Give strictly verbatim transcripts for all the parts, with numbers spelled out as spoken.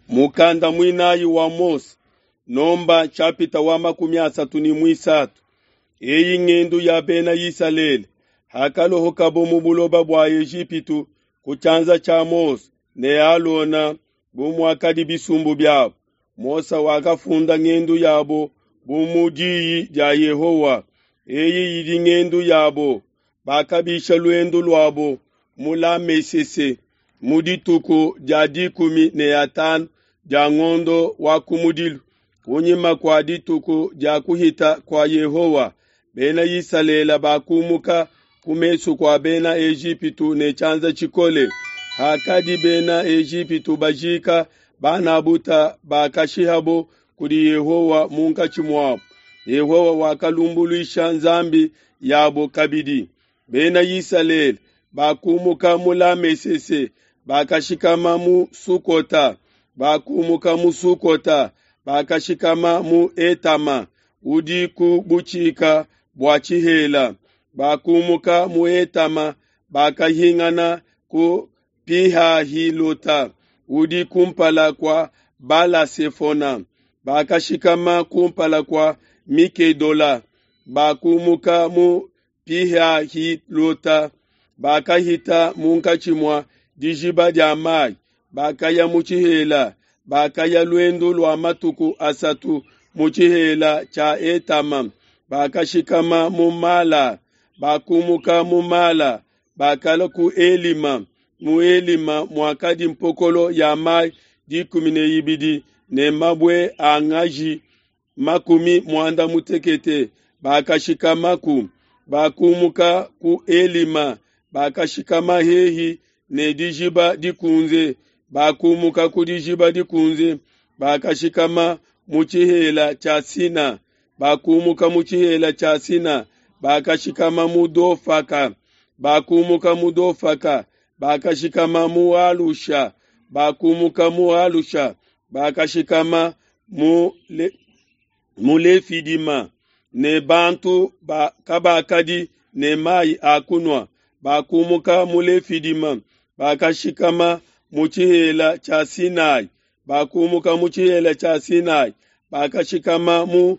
Mukanda muinayi wa Mose, Nomba nshapita wa makumi asatu ne muisatu. Eyi ngendu ya bena Isalele hakalohokabo mu buloba bua Ejipitu ku tshianza tshia Mose ne Alona bu muakadi bisumbu biabo. Mose wakafunda ngendu yabo bu mu diyi dia Yehowa. Eyi idi ngendu yabo. Bakabisha luendu luabo mu Lamesese mu dituku dia dikumi ne atanu dia ngondo wa kumudilu, kunyima kua dituku dia kuhita kua Yehowa. Bena Isalele bakumuka ku mesu kua Bena Ejipitu ne tshianza tshikole. Hakadi Bena Ejipitu bajika ban'a bute bakashihabo kudi Yehowa munkatshi muabo, Yehowa wakalumbuluisha nzambi yabo kabidi. Bena Isalele bakumuka mu Lamesese, bakashikama mu Sukota. Bakumuka mu Sukota, bakashikama mu Etama udi ku butshika bua tshihela. Bakumuka mu Etama, bakahingana ku Pihahilota udi kumpala kua Bala-sefona, bakashikama kumpala kua Mikedola. Bakumuka mu Pihahilota, bakahita munkatshi mua dijiba dia mai, bakaya mu tshihela. Bakaya luendu lua matuku asatu mu tshihela tshia Etama, bakashikama mu Mala. Bakumuka mu Mala, bakalua ku Elima. Mu Elima muakadi mpokolo ya mai dikumi ne ibidi ne mabue a ngaji makumi muanda mutekete, bakashikamaku. Bakumuka ku Elima, bakashikama hehi ne dijiba dikunze. Bakumuka ku dijiba dikunze, bakashikama mu tshihela tshia Sina. Bakumuka mu tshihela tshia Sina, bakashikama mu Dofaka. Bakumuka mu Dofaka, bakashikama mu Alusha. Bakumuka mu Alusha, bakashikama mu Le, mu Lefidima. Ne bantu ba kabakadi ne mai a kunua. Bakumuka mu Lefidima, bakashikama mu tshihela tshia Sinai. Bakumuka mu tshihela tshia Sinai, bakashikama mu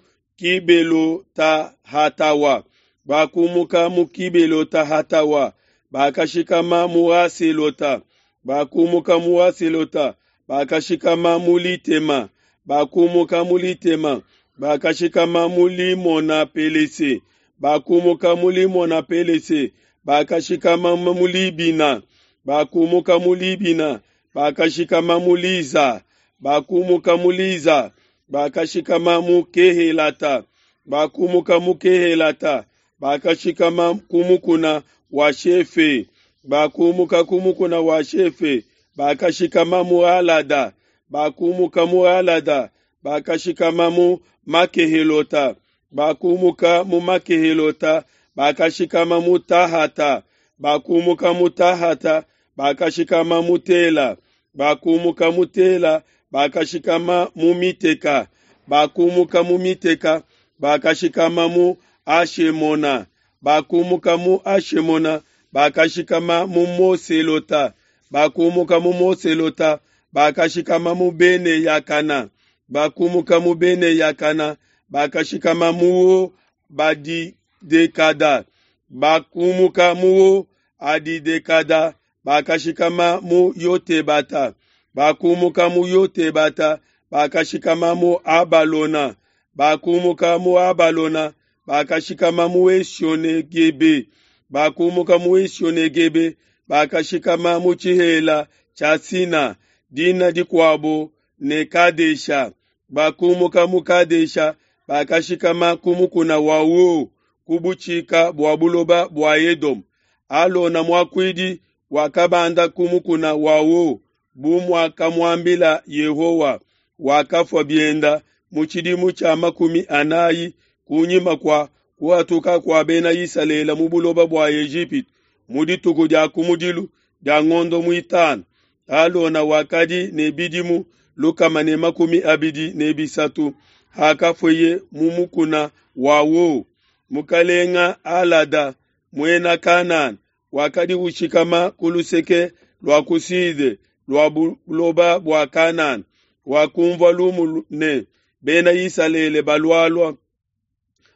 Kibelota-hatawa. Bakumuka mu Kibelota-hatawa, bakashikama mu Haselota. Bakumuka mu Haselota, bakashikama mu Litema. Bakumuka mu Litema, bakashikama mu Limona-pelese. Bakumuka mu Limona-pelese, bakashikama mu Libina. Bakumuka mu Libina, bakashikama mu Liza. Bakumuka mu Liza, bakashikama mu Kehelata. Bakumuka mu Kehelata, bakashikama ku mukuna wa Shefe. Bakumuka ku mukuna wa Shefe, bakashikama mu Alada. Bakumuka mu Alada, bakashikama mu Makehelota. Bakumuka mu Makehelota, bakashikama mu Tahata. Bakumuka mu Tahata, bakashikama mu Tela. Bakumuka mu Tela, bakashikama mu Miteka. Bakumuka mu Miteka, bakashikama mu Ashemona. Bakumuka mu Ashemona, bakashikama mu Moselota. Bakumuka mu Moselota, bakashikama mu Bene Yakana. Bakumuka mu Bene Yakana, bakashikama mu Badidekada. Bakumuka mu Adidekada, bakashikama mu Yotebata. Bakumuka mu Yotebata, bakashikama mu Abalona. Bakumuka mu Abalona, bakashikama mu Esione-Gebe. Bakumuka mu Esione-Gebe, bakashikama mu tshihela tshia Sina, dina dikuabo ne Kadesha. Bakumuka mu Kadesha, bakashikama ku mukuna wa Ho, ku butshika bua buloba bua Edome. Alona muakuidi wakabanda ku mukuna wa Ho, bu muakamuambila Yehowa. Wakafua bienda mu tshidimu tshia makumi anayi kunyima kua kuhatuka kua Bena Isalele mu buloba bua Ejipitu, mu dituku dia kumudilu dia ngondo muitanu. Alona wakadi ne bidimu lukama ne makumi abidi ne bisatu hakafueye mu mukuna wa Ho. Mukalenga Alada muena Kanana wakadi ushikama ku luseke lua ku sude lua buloba bua Kanana. wakunvua lumu ne, Bena Isalele balualua.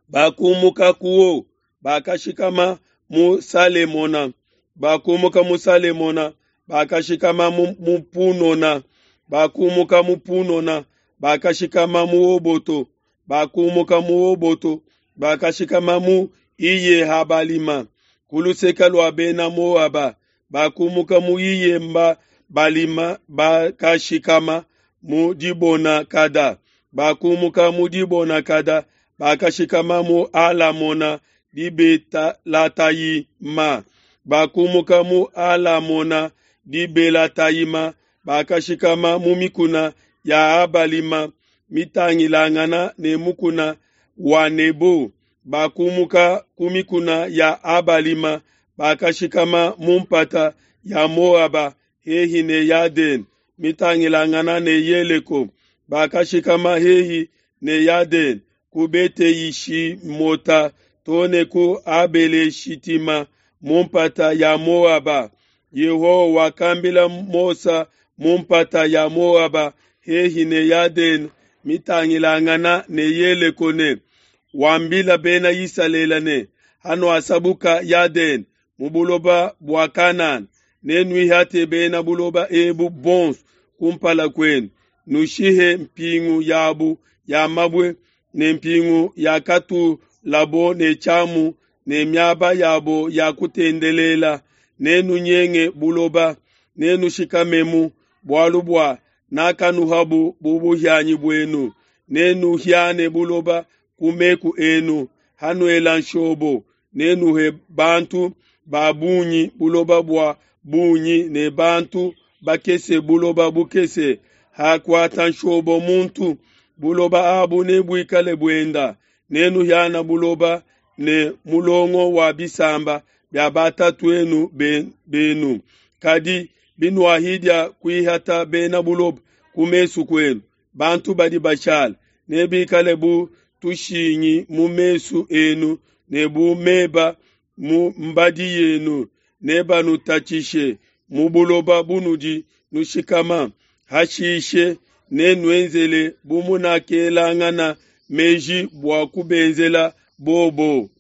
Bakumuka kuo, bakashikama mu Salemona. Bakumuka mu Salemona, bakashikama mu, mu Punona. Bakumuka mu Punona, bakashikama mu Oboto. Bakumuka mu Oboto, bakashikama mu Iye-Habalima, ku luseke lua Bena Moaba. Bakumuka mu Iye-Balima, bakashikama mu Dibona-Kada. Bakumuka mu Dibona-Kada, bakashikama mu Alamona Dibelatayima. Bakumuka mu Alamona Dibelatayima, bakashikama mu mikuna ya Abalima mitangilangana ne mukuna wa Nebo. Bakumuka ku mikuna ya Abalima, bakashikama mu mpata ya Moaba hehi ne Yadene mitangilangana ne Yeleko. Bakashikama hehi ne Yadene ku Bete-Yishimota too ne ku Abele-Shitima mu mpata ya Moaba. Yehowa wakambila Mose mu mpata ya Moaba hehi ne Yadene mitangilangana ne Yeleko ne, wambila Bena Isalele ne, hanuasabuka Yadene mu buloba bua Kanana, nenuihate bena buloba ebu bonso kumpala kuenu, nushihe mpingu yabu ya mabue ne mpingu yakatulabo ne tshiamu ne miaba yabo ya kutendelela, nenunyenge buloba, nenushikamemu, bualu bua nakanuhabu bu buhianyi buenu. Nenuhiane buloba ku meku enu, hanuela nshobo, nenuhe bantu ba bungi buloba bua bungi ne bantu bakese buloba bukese. Hakuata nshobo muntu, buloba abu nebuikale buenda. Nenuhiana buloba ne mulongo wa bisamba bia batatu'enu benu. Kadi binuahidia kuihata bena buloba ku mesu kuenu, bantu badi bashala nebikale bu tushingi mu mesu enu ne bu meba mu mbadi yenu. Nebanutatshishe mu buloba bunudi nushikama. Hashishe nenuenzele bu munakelangana meji bua kubenzela bobo.